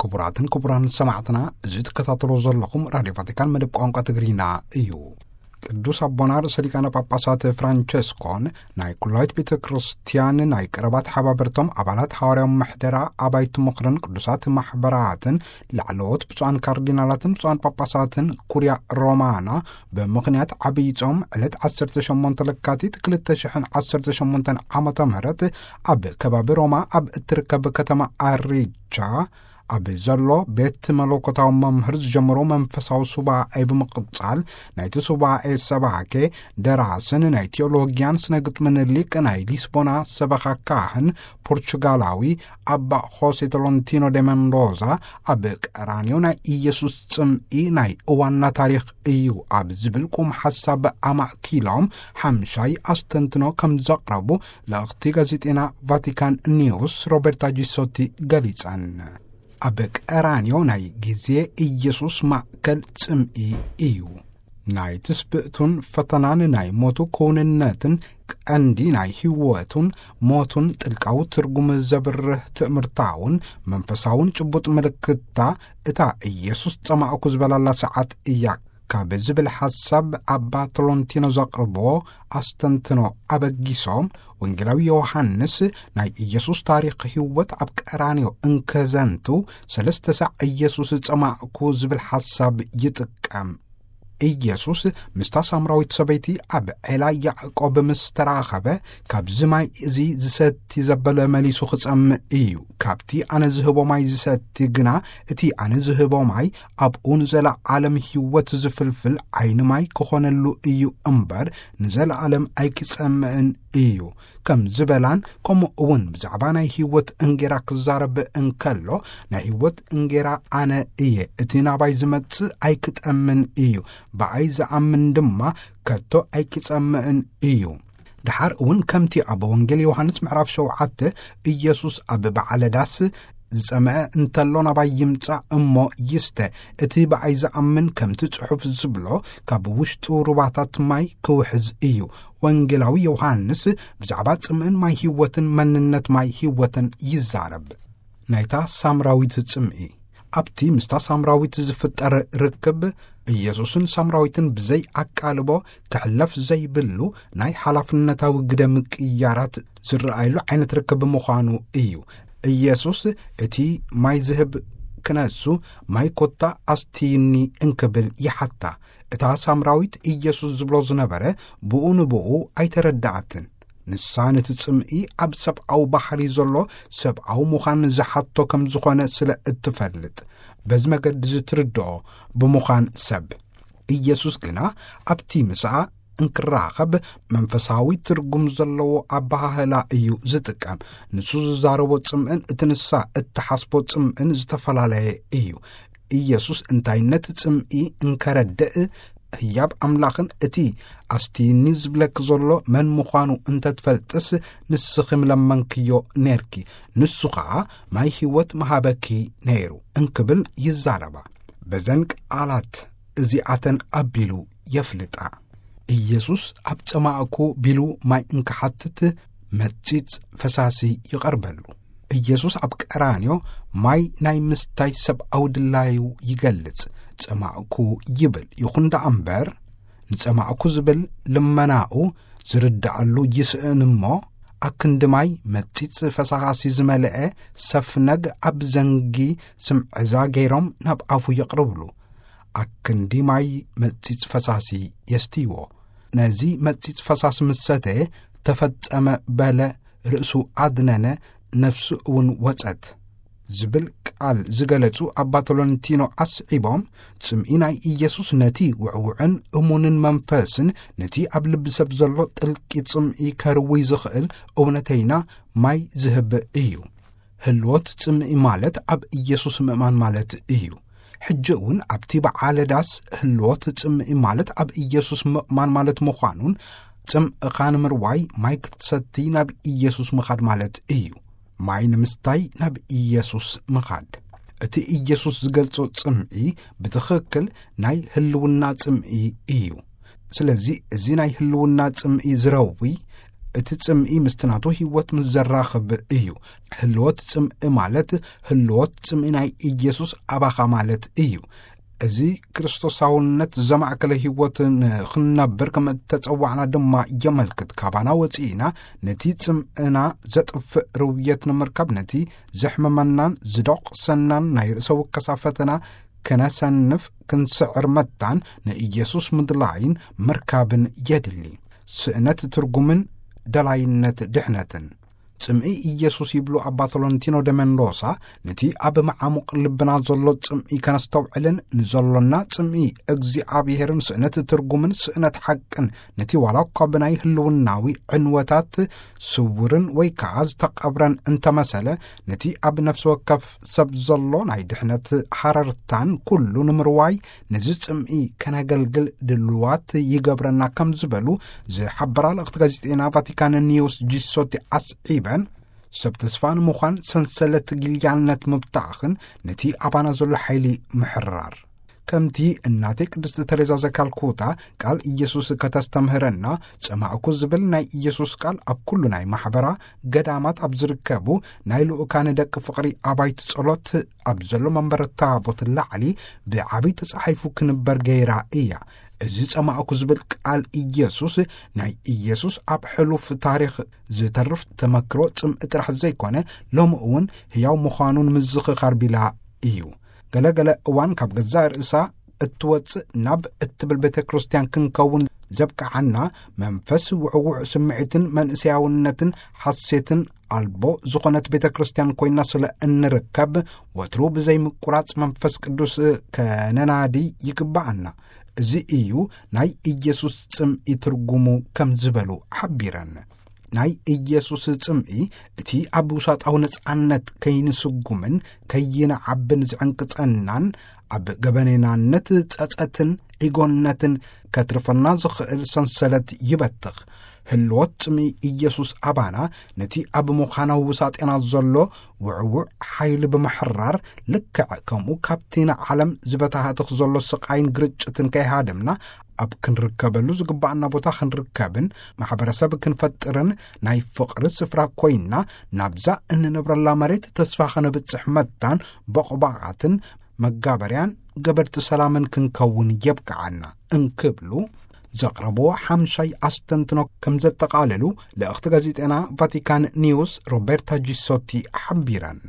ክቡራትን ክቡራን ሰማዕትና፣ እዚ ትከታተሎ ዘለኹም ራድዮ ቫቲካን መደብ ቋንቋ ትግርኛ እዩ። ቅዱስ ኣቦና ርእሰ ሊቃነ ጳጳሳት ፍራንቸስኮን ናይ ኩላዊት ቤተ ክርስቲያን ናይ ቀረባ ተሓባበርቶም ኣባላት ሓዋርያዊ ምሕደራ ኣባይቲ ምኽርን ቅዱሳት ማሕበራትን ላዕለዎት ብፁዓን ካርዲናላትን ብፁዓን ጳጳሳትን ኩርያ ሮማና ብምኽንያት ዓብዪ ጾም ዕለት ዓሰርተ ሸሞንተ ለካቲት ክልተ ሽሕን ዓሰርተ ሸሞንተን ዓመተ ምህረት ኣብ ከባቢ ሮማ ኣብ እትርከብ ከተማ ኣሪቻ ኣብ ዘሎ ቤት መለኮታዊ መምህር ዝጀመሮ መንፈሳዊ ሱባኤ ብምቕጻል፣ ናይቲ ሱባኤ ሰባኬ ደራስን ናይ ቴዎሎጊያን ስነ ግጥምን ሊቅ ናይ ሊስቦና ሰበኻ ካህን ፖርቹጋላዊ ኣባ ሆሴ ቶሎንቲኖ ደ መንዶዛ ኣብ ቀራንዮ ናይ ኢየሱስ ጽምኢ ናይ እዋንና ታሪኽ እዩ ኣብ ዝብል ቁም ሓሳብ ኣማእኪሎም ሓምሻይ ኣስተንትኖ ከም ዘቕረቡ ልእኽቲ ጋዜጤና ቫቲካን ኒውስ ሮበርታ ጂሶቲ ገሊጸን። ኣብ ቀራንዮ ናይ ግዜ ኢየሱስ ማእከል ጽምኢ እዩ። ናይ ትስብእቱን ፈተናን ናይ ሞቱ ክውንነትን ቀንዲ ናይ ህይወቱን ሞቱን ጥልቃዊ ትርጉም ዘብርህ ትእምርታውን መንፈሳውን ጭቡጥ ምልክታ እታ ኢየሱስ ጸማእኩ ዝበላላ ሰዓት እያ ካብ ዝብል ሓሳብ ኣባ ቶሎንቲኖ ዘቕርቦ ኣስተንትኖ ኣበጊሶም፣ ወንጌላዊ ዮሃንስ ናይ ኢየሱስ ታሪኽ ህይወት ኣብ ቀራንዮ እንከዘንቱ ሰለስተ ሳዕ ኢየሱስ ጸማእኩ ዝብል ሓሳብ ይጥቀም። ኢየሱስ ምስታ ሳምራዊት ሰበይቲ ኣብ ዔላ ያዕቆብ ምስ ተራኸበ፣ "ካብዚ ማይ እዚ ዝሰቲ ዘበለ መሊሱ ክጸምእ እዩ። ካብቲ ኣነ ዝህቦ ማይ ዝሰቲ ግና፣ እቲ ኣነ ዝህቦ ማይ ኣብኡ ንዘለዓለም ህይወት ዝፍልፍል ዓይኒ ማይ ክኾነሉ እዩ እምበር፣ ንዘለዓለም ኣይክጸምእን እዩ" ከም ዝበላን፣ ከምኡ እውን ብዛዕባ ናይ ህይወት እንጌራ ክዛረብ እንከሎ፣ "ናይ ህይወት እንጌራ ኣነ እየ፣ እቲ ናባይ ዝመጽእ ኣይክጠምን እዩ፣ ብኣይ ዝኣምን ድማ ከቶ ኣይክጸምእን እዩ።" ደሓር እውን ከምቲ ኣብ ወንጌል ዮሃንስ ምዕራፍ ሸውዓተ ኢየሱስ ኣብ በዓለ ዳስ ዝጸምአ እንተሎ ናባይ ይምጻእ እሞ ይስተ፣ እቲ ብኣይ ዝኣምን ከምቲ ጽሑፍ ዝብሎ ካብ ውሽጡ ሩባታት ማይ ክውሕዝ እዩ። ወንጌላዊ ዮሃንስ ብዛዕባ ጽምእን ማይ ህይወትን መንነት ማይ ህይወትን ይዛረብ። ናይታ ሳምራዊት ጽምኢ። ኣብቲ ምስታ ሳምራዊት ዝፍጠር ርክብ፣ ኢየሱስን ሳምራዊትን ብዘይ ኣቃልቦ ክሕለፍ ዘይብሉ ናይ ሓላፍነታዊ ግደ ምቅይያራት ዝረኣየሉ ዓይነት ርክብ ምዃኑ እዩ። ኢየሱስ እቲ ማይ ዝህብ ክነሱ፣ "ማይ ኮታ ኣስትይኒ" እንክብል ይሓታ። እታ ሳምራዊት ኢየሱስ ዝብሎ ዝነበረ ብኡ ንብኡ ኣይተረድኣትን። ንሳ ነቲ ጽምኢ ኣብ ሰብኣዊ ባህሪ ዘሎ ሰብኣዊ ምዃን ዝሓቶ ከም ዝኾነ ስለ እትፈልጥ፣ በዚ መገዲ ዝትርድኦ ብምዃን ሰብ። ኢየሱስ ግና ኣብቲ ምስኣ እንክራኸብ መንፈሳዊ ትርጉም ዘለዎ ኣበሃህላ እዩ ዝጥቀም። ንሱ ዝዛረቦ ጽምእን እቲ ንሳ እትሓስቦ ጽምእን ዝተፈላለየ እዩ። ኢየሱስ እንታይነት ጽምኢ እንከረድእ፣ ህያብ ኣምላኽን እቲ ኣስትይኒ ዝብለኪ ዘሎ መን ምዃኑ እንተትፈልጥስ፣ ንስኺ ምለመንክዮ ኔርኪ፣ ንሱ ኸኣ ማይ ህይወት ምሃበኪ ነይሩ እንክብል ይዛረባ። በዘን ቃላት እዚኣተን ኣቢሉ የፍልጣ። ኢየሱስ ኣብ ጸማእኩ ቢሉ ማይ እንክሓትት መጺጽ ፈሳሲ ይቐርበሉ። ኢየሱስ ኣብ ቀራንዮ ማይ ናይ ምስታይ ሰብኣዊ ድላዩ ይገልጽ። "ጸማእኩ" ይብል። ይኹን ደኣ እምበር፣ ንጸማእኩ ዝብል ልመናኡ ዝርድኣሉ ይስእን እሞ፣ ኣክንዲ ማይ መጺጽ ፈሳሲ ዝመልአ ሰፍነግ ኣብ ዘንጊ ስምዕዛ ገይሮም ናብ ኣፉ የቕርብሉ። ኣክንዲ ማይ መጺጽ ፈሳሲ የስትይዎ። ነዚ መጺጽ ፈሳሲ ምስ ሰተየ፣ "ተፈጸመ" በለ፣ ርእሱ ኣድነነ፣ ነፍሱ እውን ወጸት ዝብል ቃል ዝገለጹ ኣባ ቶሎንቲኖ ኣስዒቦም፣ ጽምኢ ናይ ኢየሱስ ነቲ ውዕውዕን እሙንን መንፈስን ነቲ ኣብ ልቢ ሰብ ዘሎ ጥልቂ ጽምኢ ከርውይ ዝኽእል እውነተይና ማይ ዝህብ እዩ። ህልዎት ጽምኢ ማለት ኣብ ኢየሱስ ምእማን ማለት እዩ። ሕጂ እውን ኣብቲ በዓለ ዳስ ህልዎት ጽምኢ ማለት ኣብ ኢየሱስ ምእማን ማለት ምዃኑን፣ ጽምእኻ ንምርዋይ ማይ ክትሰቲ ናብ ኢየሱስ ምኻድ ማለት እዩ። ማይ ንምስታይ ናብ ኢየሱስ ምኻድ። እቲ ኢየሱስ ዝገልጾ ጽምኢ ብትኽክል ናይ ህልውና ጽምኢ እዩ። ስለዚ እዚ ናይ ህልውና ጽምኢ ዝረዊ እቲ ጽምኢ ምስቲ ናቱ ህይወት ምስ ዘራኽብ እዩ። ህልወት ጽምኢ ማለት ህልወት ጽምኢ ናይ ኢየሱስ ኣባኻ ማለት እዩ። እዚ ክርስቶሳውነት ዘማእከለ ህይወት ንኽንነብር ከም እተጸዋዕና ድማ የመልክት። ካባና ወጺእና ነቲ ጽምእና ዘጥፍእ ርውየት ንምርካብ፣ ነቲ ዘሕመመናን ዝደቑሰናን ናይ ርእሰ ውከሳ ፈተና ከነሰንፍ ክንስዕር መታን ንኢየሱስ ምድላይን ምርካብን የድሊ። ስእነት ትርጉምን ደላይነት ድሕነትን። ጽምኢ ኢየሱስ ይብሉ ኣባ ቶሎንቲኖ ደ መንዶሳ፣ ነቲ ኣብ መዓሙቕ ልብና ዘሎ ጽምኢ ከነስተውዕልን ንዘሎና ጽምኢ እግዚኣብሔርን ስእነት ትርጉምን ስእነት ሓቅን፣ ነቲ ዋላ እኳ ብናይ ህልውናዊ ዕንወታት ስውርን ወይ ከኣ ዝተቐብረን እንተመሰለ፣ ነቲ ኣብ ነፍሲ ወከፍ ሰብ ዘሎ ናይ ድሕነት ሃረርታን ኩሉ ንምርዋይ ነዚ ጽምኢ ከነገልግል ድልዋት ይገብረና ከም ዝበሉ ዝሓበራ ልእኽቲ ጋዜጠና ቫቲካን ኒውስ ጂሶቲ ኣስዒበን፣ ሰብ ተስፋ ንምዃን ሰንሰለት ግልያነት ምብታዕኽን ነቲ ኣባና ዘሎ ሓይሊ ምሕራር። ከምቲ እናተይ ቅድስቲ ተሬዛ ዘካልኩታ ቃል ኢየሱስ ከተስተምህረና፣ ጸማእኩ ዝብል ናይ ኢየሱስ ቃል ኣብ ኩሉ ናይ ማሕበራ ገዳማት ኣብ ዝርከቡ ናይ ልኡካን ደቂ ፍቕሪ ኣባይቲ ጸሎት ኣብ ዘሎ መንበረ ታቦት ላዕሊ ብዓቢ ተጻሒፉ ክንበር ገይራ እያ። እዚ ጸማእኩ ዝብል ቃል ኢየሱስ ናይ ኢየሱስ ኣብ ሕሉፍ ታሪኽ ዝተርፍ ተመክሮ ጽምኢ ጥራሕ ዘይኮነ፣ ሎሚ እውን ህያው ምዃኑን ምዝኽኻር ቢላ እዩ። ገለ ገለ እዋን ካብ ገዛእ ርእሳ እትወጽእ ናብ እትብል ቤተ ክርስቲያን ክንከውን ዘብቅዓና መንፈስ ውዕውዕ ስምዒትን መንእሰያውነትን ሓሴትን ኣልቦ ዝኾነት ቤተ ክርስቲያን ኮይና ስለ እንርከብ፣ ወትሩ ብዘይምቁራጽ መንፈስ ቅዱስ ከነናዲ ይግብኣና። እዚ እዩ ናይ ኢየሱስ ጽምኢ ትርጉሙ ከም ዝበሉ ሓቢረን። ናይ ኢየሱስ ጽምኢ እቲ ኣብ ውሳጣዊ ነጻነት ከይንስጉምን ከይንዓብን ዝዕንቅጸናን፣ ኣብ ገበኔናነት ጸጸትን ዒጎነትን ከትርፈና ዝኽእል ሰንሰለት ይበትኽ። ህልወት ጽምኢ ኢየሱስ ኣባና ነቲ ኣብ ምዃናዊ ውሳጤና ዘሎ ውዕውዕ ሓይሊ ብምሕራር፣ ልክዕ ከምኡ ካብቲ ንዓለም ዝበታህትኽ ዘሎ ስቓይን ግርጭትን ከይሃደምና፣ ኣብ ክንርከበሉ ዝግባኣና ቦታ ክንርከብን ማሕበረሰብ ክንፈጥርን ናይ ፍቕሪ ስፍራ ኮይና ናብዛ እንነብረላ መሬት ተስፋ ከነብጽሕ መታን በቑባቓትን መጋበርያን ገበርቲ ሰላምን ክንከውን የብቅዓና እንክብሉ ዘቕረብዎ ሓምሻይ ኣስተንትኖ ከም ዘጠቓለሉ ልእኽቲ ጋዜጠና ቫቲካን ኒውስ ሮቤርታ ጂሶቲ ሓቢረን።